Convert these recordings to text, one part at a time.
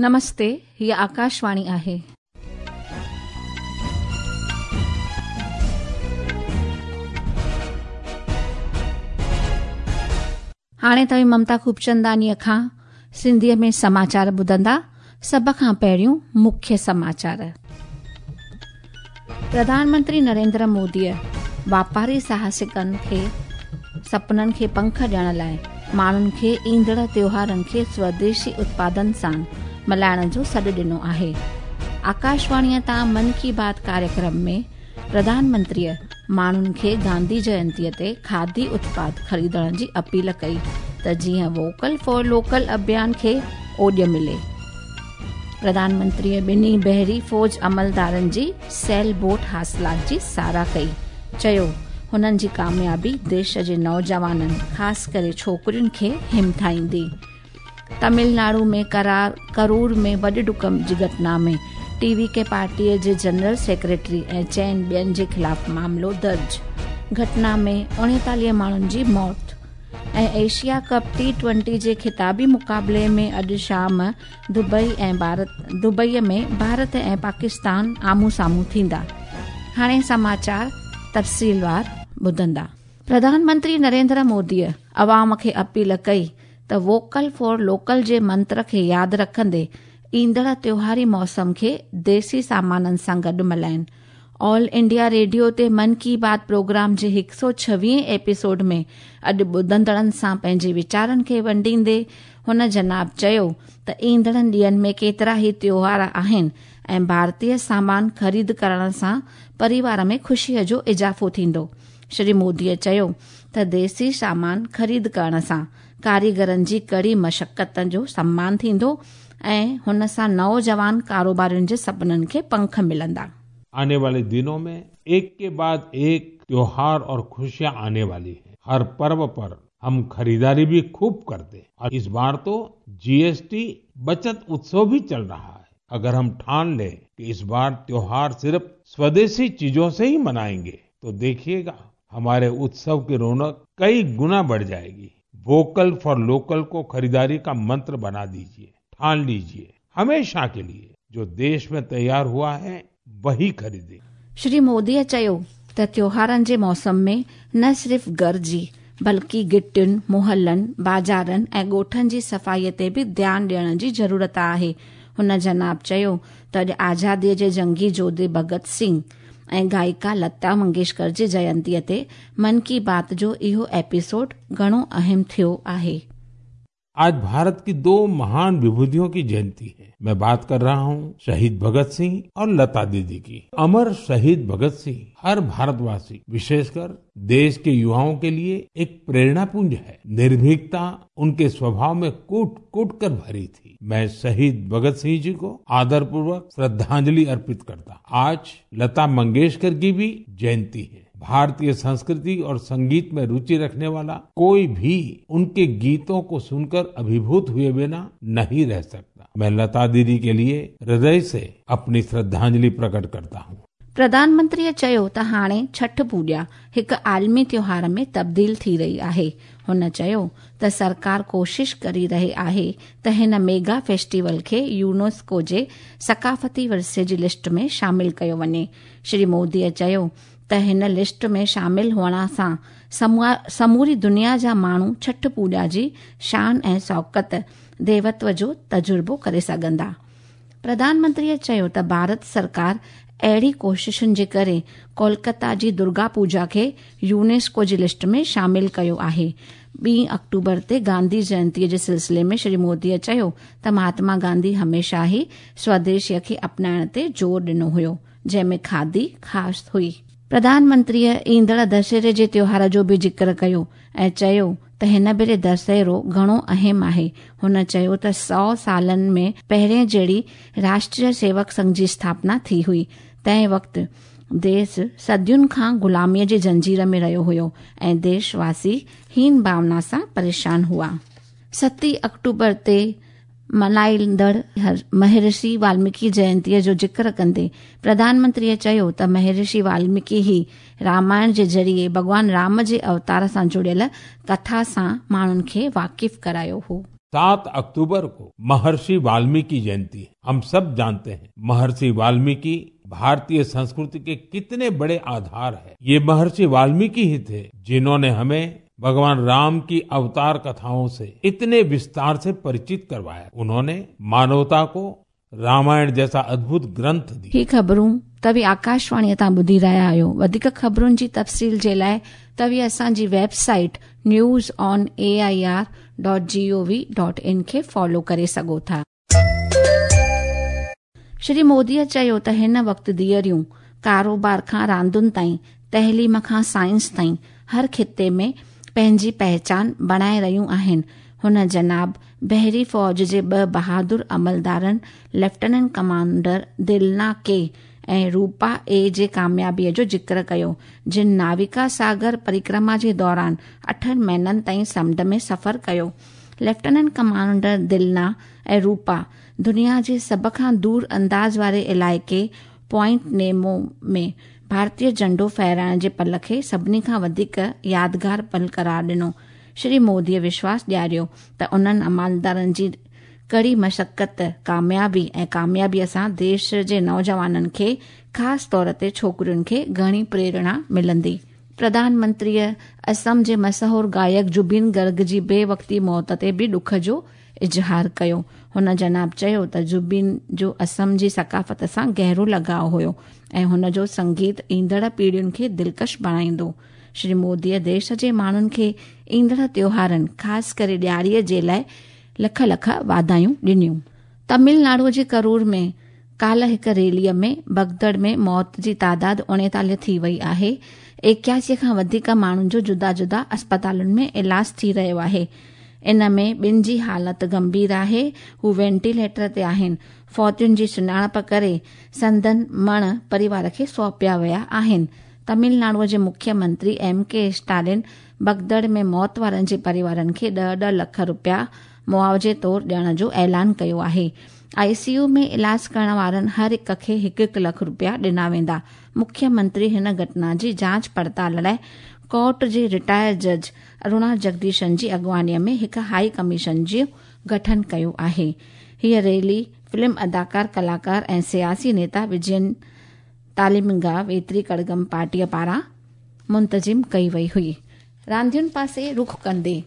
نمستي، هيء آڪاشواڻي آهي. هاڻي توهين ممتا خوبچنداڻيء کان سنڌيء ۾ سماچار ٻڌندا. سڀ کان پهريون مکيه سماچار. پرڌان منتري نريندر موديء واپاري ساهسڪن کي سپنن کي پنک ڏيڻ لاء ماڻهن کي ايندڙ تيوهارن کي سوديشي اتپادن سان ملهائڻ جو سڏ ڏنو آهي. آڪاشواڻيء تان من ڪي بات ڪاريڪرم ۾ پرڌان منتريء ماڻهن کي گانڌي جينتيء تي کادي اتپاد خريدڻ جي اپيل ڪئي ته جيئن ووڪل فار لوڪل اڀيان کي اوڄ ملي. پرڌان منتريء ٻنهي بحري فوج عملدارن جي سيل بوٽ حاصلات جي ساراهه ڪئي، چيو هنن جي ڪاميابي ديش جي نوجوانن خاص ڪري ڇوڪرين کي همٿائيندي. تامل ناڊو ۾ ڪرور ۾ وڏ ڊڪ جي گهٽنا ۾ ٽي وي ڪي پارٽيء جي جنرل سيڪريٽري ۽ چئن ٻين جي خلاف معاملو درج، گهٽنا ۾ 39 ماڻهن جي موت ۽ ايشيا ڪپ ٽي ٽوئنٽي جي خطابي مقابلي ۾ اڄ شام دبئي دبئي ۾ ڀارت ۽ پاڪستان آمهون سامهون ٿيندا. هاڻي سماچار تفصيلوار ٻڌندا. پرڌان منتري نريندر موديء عوام کي اپيل ڪئي ته ووڪل فار لوڪل جي منتر کي ياد رکندي ايندڙ تيوهاري موسم کي ديسي سامانن سان گڏ ملهائين. آل انڊيا ريڊيو تي من ڪي بات پروگرام جي هڪ سؤ ڇويهين ايپيسوڊ ۾ اڄ ٻڌندڙن سان پنهنجي ويچارن کي ونڊيندي هن جناب چيو ته ايندڙن ڏينهن ۾ ڪيترا ئي تيوهار آهن ۽ ڀارتي سامان خريد ڪرڻ سان پريوار ۾ خوشيء جو اضافو ٿيندو. شري موديء چيو ته ديسي سامان خريد ڪرڻ سان ڪاريگرن جي ڪڙي مشقت جو سمان ٿيندو ۽ هن سان نوجوان ڪاروبارين جي سپنن کي پنک ملندا. آني والي دنون مين ايڪ ڪي بعد ايڪ تيوهار اور خوشيان آني والي هين. هر پرو پر هم خريداري ڀي خوب ڪرتي هين اور اس بار تو جي ايس ٽي بچت اتسو ڀي چل رها هي. اگر هم ٺان لين ڪي اس بار تيوهار صرف سوديسي چيزون سي هي منائين گي تو ديکيئي گا هماري اتسو ڪي رونق ڪئي گنا بڙه جائي گي. ووڪل فار لوڪل ڪو خريداري ڪا منتر بنا ديجئي، ٺان ليجئي، هميشه ڪي ليي جو ديش مين تيار هوا هي وهي خريدي. شري موديء چيو ته تيوهارن جي موسم ۾ نه صرف گهر جي بلڪه گهٽين، محلن، بازارن ۽ ڳوٺن جي صفائي تي به ڌيان ڏيڻ جي ضرورت آهي. هن جناب چيو ته اڄ آزادي جي جنگي جوڌي ڀڳت سنگهه ۽ گائڪا لتا منگيشڪر جي جينتيء تي من ڪي بات جو اهو ايپيسوڊ گهڻو اهم ٿيو آهي. آج بھارت ڪي دو مهان وڀوتيون ڪي جينتي هي. مين بات ڪر رها هون شهيد ڀڳت سنگهه اور لتا ديدي ڪي. امر شهيد ڀڳت سنگهه هر ڀارت واسي وشيش ڪر ديش ڪي يوائون ڪي ليي ايڪ پريرڻا پونج هي. نرڀيڪتا ان ڪي سوڀاو مين ڪوٽ ڪوٽ ڪر ڀري ٿي. مين شهيد ڀڳت سنگهه جي ڪو آدر پوروڪ شرڌانجلي ارپت ڪرتا. آج لتا منگيشڪر ڪي ڀي جينتي هي. भारतीय संस्कृति और संगीत में रुचि रखने वाला कोई भी उनके गीतों को सुनकर अभिभूत हुए बिना नहीं रह सकता। मैं लता दीदी के लिए हृदय से अपनी श्रद्धांजलि प्रकट करता हूँ। پرڌان منتريء چيو ته هاڻي ڇٺ پوڄا هڪ عالمي تيوهار ۾ تبديل ٿي رهي آهي. هن چيو ته سرڪار ڪوشش ڪري رهي آهي ته هن ميگا فيسٽيول کي يونيسڪو جي ثقافتي ورثي جي لسٽ ۾ شامل ڪيو وڃي. شري موديء چيو ته هن لسٽ ۾ شامل هئڻ سان سموري دنيا جا ماڻهو ڇٺ پوڄا جي شان ۽ شوڪت، ديوتو جو تجربو ڪري سگهندا. پرڌان منتريء چيو ته ڀارت سرڪار اهڙي ڪوششن جي ڪري ڪولڪتا جي درگا پوڄا کي يونيسڪو جي لسٽ ۾ شامل ڪيو آهي. ٻي آڪٽوبر تي گانڌي جينتيء جي سلسلي ۾ شري موديء چيو ته مهاتما گانڌي هميشه ئي سوديشيء کي اپنائڻ تي زور ڏنو هيو. جنهن ۾ کادي خاص هئي. پرڌان منتريء ايندڙ دسهري جي تيوهار جو به ذڪر ڪيو ۽ چيو ته هن ڀيري دسهرو گهڻو اهم آهي. هن چيو ته سئو سالن ۾ پهرين جهڙي راشٽريه سيوڪ سنگهه جي اسٿاپنا ٿي هئي، تنهن وقت ديس صدين کان غلاميء جي زنجير ۾ رهيو هيو ۽ ديش واسي هين ڀاونا سان پريشان هئا. ستين آڪٽوبر تي ملهائيندڙ مهرشي والميڪي جينتيء جو ذڪر ڪندي پرڌان منتريء چيو ته مهرشي والميڪي ئي رامائڻ جي ذريعي ڀڳوان رام جي اوتار سان جڙيل ڪٿا سان ماڻهن کي واقف ڪرايو هو. 7 अक्टूबर को महर्षि वाल्मीकि जयंती है। हम सब जानते हैं महर्षि वाल्मीकि भारतीय संस्कृति के कितने बड़े आधार हैं। ये महर्षि वाल्मीकि ही थे जिन्होंने हमें भगवान राम की अवतार कथाओं से इतने विस्तार से परिचित करवाया। उन्होंने मानवता को रामायण जैसा अद्भुत ग्रंथ दिया। ही ख़बरूं तव्हीं आकाशवाणीअ तां ॿुधी रहिया आहियो। वधीक ख़बरुनि जी तफ़सील जे लाइ तव्हीं असांजी website news on A I R dot G O V dot in खे फॉलो करे सघो था। श्री मोदीअ चयो त हिन वक़्तु धीअरियूं कारोबार खां रांदुनि ताईं, तइलीम खां साइंस ताईं हर ख़िते में पंहिंजी पहिचान बणाए रहियूं आहिनि। हुन जनाब बहरी फ़ौज जे ॿ बहादुर अमलदारनि लेफ्टिनेंट कमांडर दिलना के ऐं रूपा ए जे कामयाबीअ जो ज़िक्र कयो, जिन नाविका सागर परिक्रमा जे दौरान 8 महीननि ताईं समुंड में सफ़र कयो। लेफ्टिनेंट कमांडर दिलना ऐं रूपा दुनिया जे सभ खां दूर अंदाज़ वारे इलाइक़े पॉइंट नेमो में भारतीय झंडो फहराइण जे पल खे सभिनी खां वधीक यादगार पल करार ॾिनो। श्री मोदीअ विश्वास ॾियारियो त उन्हनि अमलदारनि जी कड़ी मशक़त, कामयाबी ऐं कामयाबीअ सां देश जे नौजवाननि खे, ख़ासि तौर ते छोकिरियुनि खे घणी प्रेरणा मिलंदी। प्रधानमंत्रीअ असम जे मशहूर गायक जुबिन गर्ग जी बेवक़्ती मौत ते बि ॾुख जो इज़हार कयो। हुन जनाब चयो त जुबिन जो असम जी सकाफ़त सां गहरो लॻाव हुयो ऐं हुन जो संगीत ईंदड़ पीढ़ियुनि खे दिलकश बणाईंदो। श्री मोदीअ देश जे माण्हुनि खे ईंदड़ त्योहारनि, ख़ासि करे ॾियारीअ जे लाइ लख लख वाधायूं ॾिनियूं। तमिलनाडुअ जे करूर में काल्ह हिकु रैलीअ में भगदड़ में मौत जी तादाद 39 थी वई आहे। 81 खां वधीक माण्हुनि जो जुदा जुदा अस्पतालुनि में इलाज थी रहियो आहे। इन में ॿिनि जी हालत गंभीर आहे, हू वेंटिलेटर ते आहिनि। फौतियुनि जी सुञाणप करे संदन मण परिवार खे सौंपिया विया आहिनि। तमिलनाडुअ जे मुख्यमंत्री एम के स्टालिन भगदड़ में मौत वारनि जे परिवारनि खे 10-10 लख रुपया मुआवज़े तौर ॾियण जो ऐलान कयो आहे। आईसीयू में इलाज करण वारनि हर हिक खे 1-1 लख रुपया ॾिना वेंदा। मुख्यमंत्री हिन घटना जी जांच पड़ताल लाइ कोर्ट जे रिटायर जज अरुणा जगदीशन जी अॻुवाणीअ में हिकु हाई कमीशन जो गठन कयो आहे। हीअ रैली फिल्म अदाकार, कलाकार ऐं सियासी नेता विजयन तालिमगा वेत्री कड़गम पार्टीअ पारां मुंतज़िम कई वई हुई। रांदियुनि पासे रुख कंदे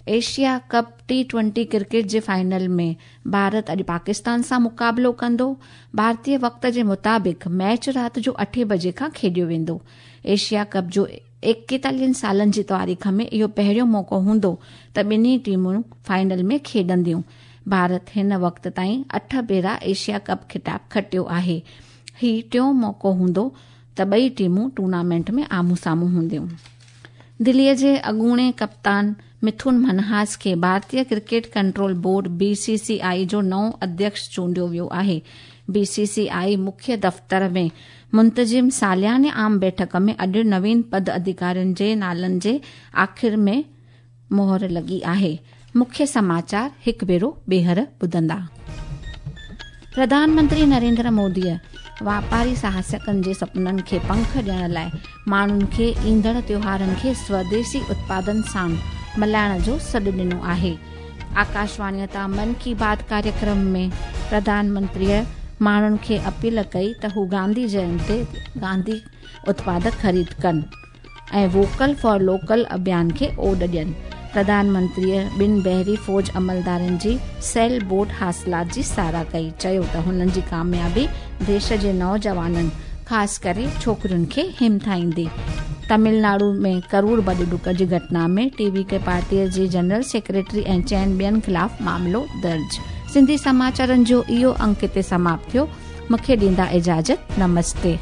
एशिया कप T20 cricket जे फाइनल में भारत अॼु पाकिस्तान सां मुक़ाबिलो कंदो। भारतीय वक़्त जे मुताबिक़ मैच राति जो 8 बजे खां खेॾियो वेंदो। एशिया कप जो 41 सालनि जी तारीख़ में इहो पहिरियों मौक़ो हूंदो त ॿिन्ही टीमुनि फाइनल में खेॾंदियूं। भारत हिन वक़्त ताईं 8 भेरा एशिया कप ख़िताब खटियो आहे। हीउ टियों मौक़ो हूंदो त ॿई टीमूं टूर्नामेंट में आम्हूं साम्हूं हूंदियूं। दिल्लीअ जे अॻूणे कप्तान मिथुन मनहास खे भारतीय क्रिकेट कंट्रोल बोर्ड BCCI जो नओं अध्यक्ष चूंडियो वियो आहे। BCCI मुख्य दफ़्तर में मुंतज़िम सालियाने आम बैठक में अॼु नवीन पद अधिकारियुनि जे नालनि जे आख़िर में मोहर लॻी आहे। मुख्य समाचार हिकु भेरो ॿीहर ॿुधंदा। प्रधानमंत्री नरेंद्र मोदीअ वापारी साहसिकनि जे सपननि खे पंख ॾियण लाइ माण्हुनि खे ईंदड़ त्योहारनि खे स्वदेशी उत्पादन सां मल्हाइण जो सॾु ॾिनो आहे। आकाशवाणीअ तां मन की बात कार्यक्रम में प्रधानमंत्रीअ माण्हुनि खे अपील कई त हू गांधी जयंती ते गांधी उत्पाद ख़रीद कनि ऐं वोकल फॉर लोकल अभियान खे ओॾ ॾियनि। प्रधानमंत्रीअ ॿिनि बहरी फ़ौज अमलदारनि जी सेल बोट हासिलात जी सराह कई, चयो त हुननि जी कामयाबी देश जे नौजवाननि, ख़ासि करे छोकिरियुनि खे हिमथाईंदी। तमिलनाडु में करूर बॾ ॾुक जी घटना में टीवीके पार्टीअ जे जनरल सेक्रेटरी ऐं 4 ॿियनि ख़िलाफ़ मामिलो दर्ज। सिंधी समाचारनि जो इहो अंक हिते समाप्त थियो। मूंखे ॾींदा इजाज़त। नमस्ते।